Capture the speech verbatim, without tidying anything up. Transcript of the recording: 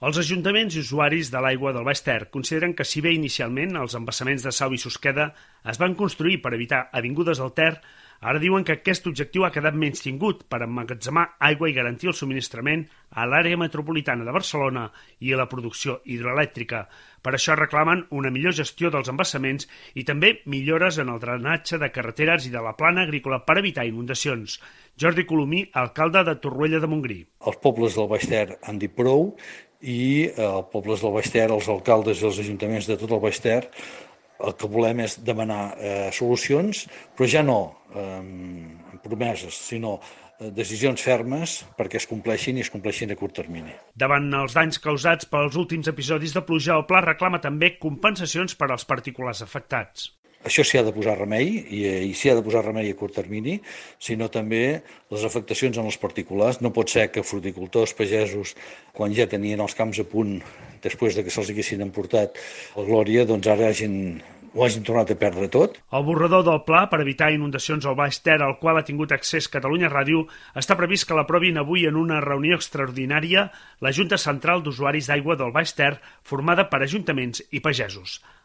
Els ajuntaments i usuaris de l'aigua del Baix Ter consideren que si bé inicialment els embassaments de Sau i Susqueda es van construir per evitar avingudes al Ter, ara diuen que aquest objectiu ha quedat menystingut per emmagatzemar aigua i garantir el subministrament a l'àrea metropolitana de Barcelona i a la producció hidroelèctrica. Per això reclamen una millor gestió dels embassaments i també millores en el drenatge de carreteres i de la plana agrícola per evitar inundacions. Jordi Colomí, alcalde de Torroella de Montgrí. Els pobles del Baix Ter han dit prou i els pobles del Baix Ter, els alcaldes i els ajuntaments de tot el Baix Ter, el que volem és demanar eh, solucions, però ja no eh, promeses, sinó eh, decisions fermes perquè es compleixin i es compleixin a curt termini. Davant els danys causats pels últims episodis de pluja, el pla reclama també compensacions per als particulars afectats. Això s'hi ha de posar remei, i, i s'hi ha de posar remei a curt termini, sinó també les afectacions en els particulars. No pot ser que fruticultors, pagesos, quan ja tenien els camps a punt, després de que se'ls haguessin emportat la glòria, doncs ara hagin, ho hagin tornat a perdre tot. El borrador del pla per evitar inundacions al Baix Ter, al qual ha tingut accés Catalunya Ràdio, està previst que l'aprovin avui en una reunió extraordinària la Junta Central d'Usuaris d'Aigua del Baix Ter, formada per ajuntaments i pagesos.